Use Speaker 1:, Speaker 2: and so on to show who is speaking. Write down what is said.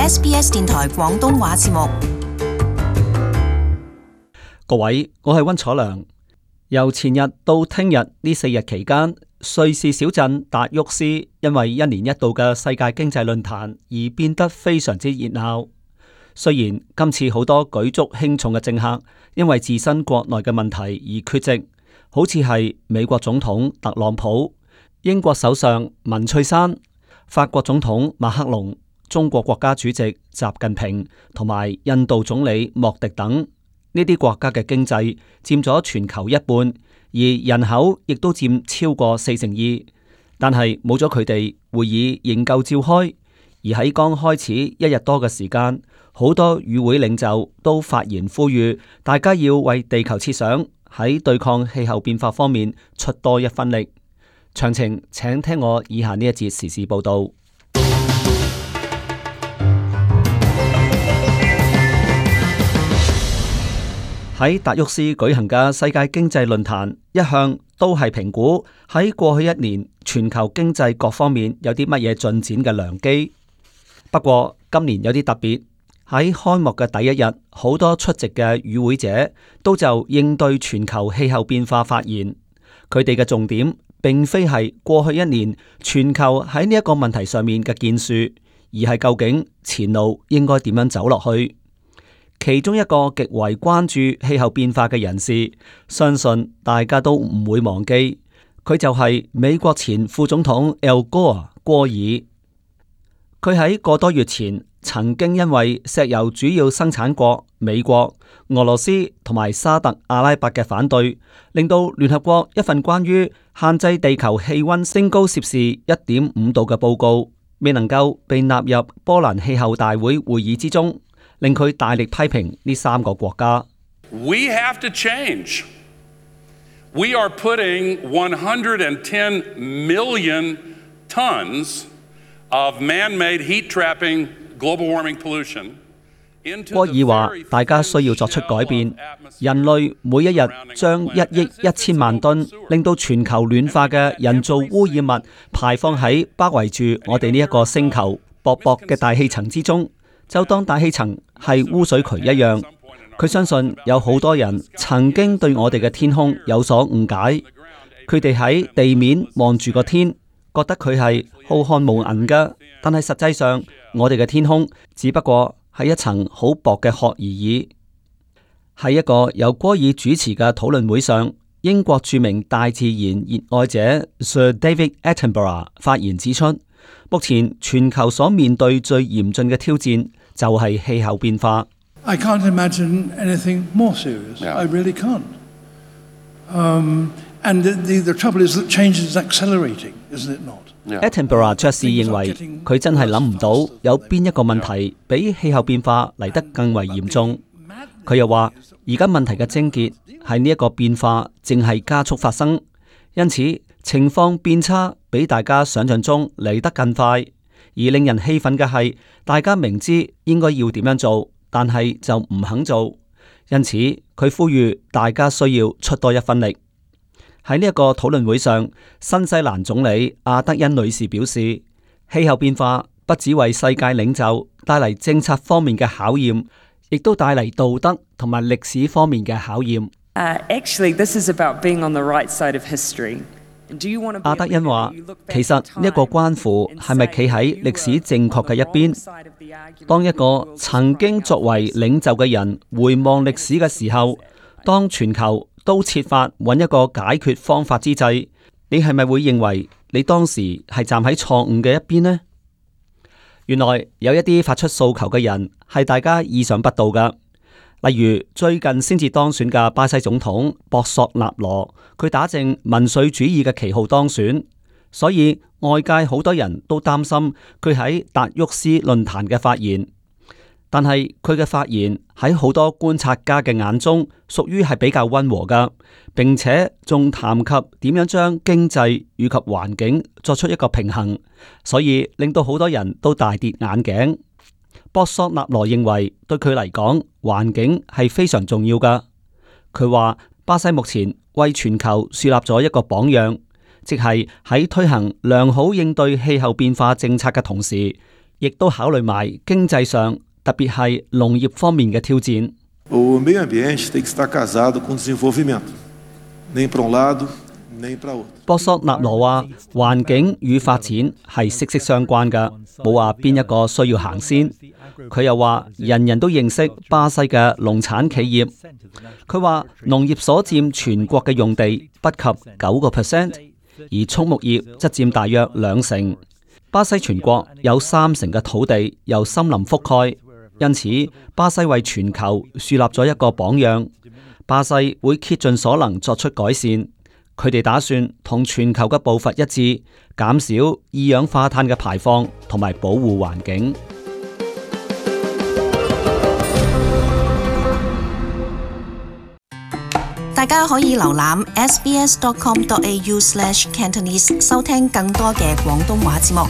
Speaker 1: SBS 電台廣東話節目。
Speaker 2: 各位，我係溫楚良。由前日到聽日呢4日期間，瑞士小鎮達沃斯因為1年1度嘅世界經濟論壇而變得非常之熱鬧。雖然今次好多舉足輕重嘅政客因為自身國內嘅問題而缺席，好似係美國總統特朗普、英國首相文翠珊、法國總統馬克龍、中國國家主席習近平同埋印度總理莫迪等。呢啲國家嘅經濟佔咗全球一半，而人口亦都佔超過42%。但係冇咗佢哋，會議仍舊召開。而喺剛開始1日多嘅時間，好多與會領袖都發言呼籲大家要為地球設想，喺對抗氣候變化方面出多一分力。詳情請聽我以下呢一節時事報道。喺達沃斯舉行嘅世界經濟論壇，一向都係評估喺過去1年全球經濟各方面有啲乜嘢進展嘅良機。不過今年有啲特別，喺開幕嘅第一日，好多出席嘅與會者都就應對全球氣候變化發言。佢哋嘅重點並非係過去1年全球喺呢一個問題上面嘅建樹，而係究竟前路應該點樣走落去。其中一個極為關注氣候變化嘅人士，相信大家都唔會忘記，佢就係美國前副總統 Al Gore 戈爾。佢喺個多月前曾經因為石油主要生產國美國、俄羅斯同埋沙特阿拉伯嘅反對，令到聯合國一份關於限制地球氣溫升高攝氏1.5度嘅報告，未能夠被納入波蘭氣候大會會議之中。令佢大力批評呢3個國家。
Speaker 3: We have to change. We are putting 110 million tons of man-made heat-trapping global warming pollution into the very
Speaker 2: 戈爾話：大家需要作出改變，人類每一日將1億1000萬噸令到全球暖化嘅人造污染物排放喺包圍住我哋呢一個星球薄薄嘅大氣層之中。就當大氣層係污水渠一樣，佢相信有好多人曾經對我哋嘅天空有所誤解，佢哋喺地面望住個天，覺得佢係浩瀚無垠㗎，但係實際上我哋嘅天空只不過係一層好薄嘅殼而已。喺一個由戈爾主持嘅討論會上，英國著名大自然熱愛者 Sir David Attenborough 發言指出，目前全球所面對最嚴峻嘅挑戰就係氣候變化。
Speaker 4: I can't imagine anything more serious.
Speaker 3: Yeah.
Speaker 4: I really can't. And the trouble is that change is accelerating, isn't it not?
Speaker 2: Attenborough 爵士認為佢真係諗唔到有邊一個問題比氣候變化嚟得更為嚴重。佢又話，而家問題嘅症結係呢一個變化正係加速發生，因此情況變差比大家想象中嚟得更快。而令人氣憤嘅係，大家明知應該要點樣做，但係就唔肯做。因此佢呼籲大家需要出多一分力。喺呢一個討論會上，新西蘭總理阿德恩女士表示，氣候變化不只為世界領袖帶嚟政策方面嘅考驗，亦都帶嚟道德同埋歷史方面嘅考驗。
Speaker 5: Actually, this is about being on the right side of history.
Speaker 2: 阿德恩話，其實呢一個關乎係咪企喺歷史正確嘅一邊。當一個曾經作為領袖嘅人回望歷史嘅時候，當全球都設法揾一個解決方法之際，你係咪會認為你當時係站喺錯誤嘅一邊呢？原來有一啲發出訴求嘅人係大家意想不到㗎。例如最近先至當選嘅巴西總統博索納羅，佢打正民粹主義嘅旗號當選，所以外界好多人都擔心佢喺達沃斯論壇嘅發言。但係佢嘅發言喺好多觀察家嘅眼中，屬於係比較溫和㗎，並且仲談及點樣將經濟與及環境作出一個平衡，所以令到好多人都大跌眼鏡。博索納羅認為對佢嚟講，環境係非常重要㗎。佢話巴西目前為全球樹立咗一個榜樣，即係喺推行良好應對氣候變化政策嘅同時，亦都考慮埋經濟上，特別係農業方面嘅挑戰。
Speaker 6: O meio ambiente tem que estar casado com desenvolvimento, nem para lado, nem para outro。
Speaker 2: 博索納羅話：環境與發展係息息相關㗎，冇話邊一個需要行先。佢又話：人人都認識巴西嘅農產企業。佢話農業所佔全國嘅用地不及9%，而畜牧業則佔大約2成。巴西全國有3成嘅土地由森林覆蓋，因此巴西為全球樹立咗一個榜樣。巴西會竭盡所能作出改善，佢哋打算同全球嘅步伐一致，減少二氧化碳嘅排放同埋保護環境。
Speaker 1: 大家可以瀏覽 sbs.com.au/Cantonese 收聽更多嘅廣東話節目。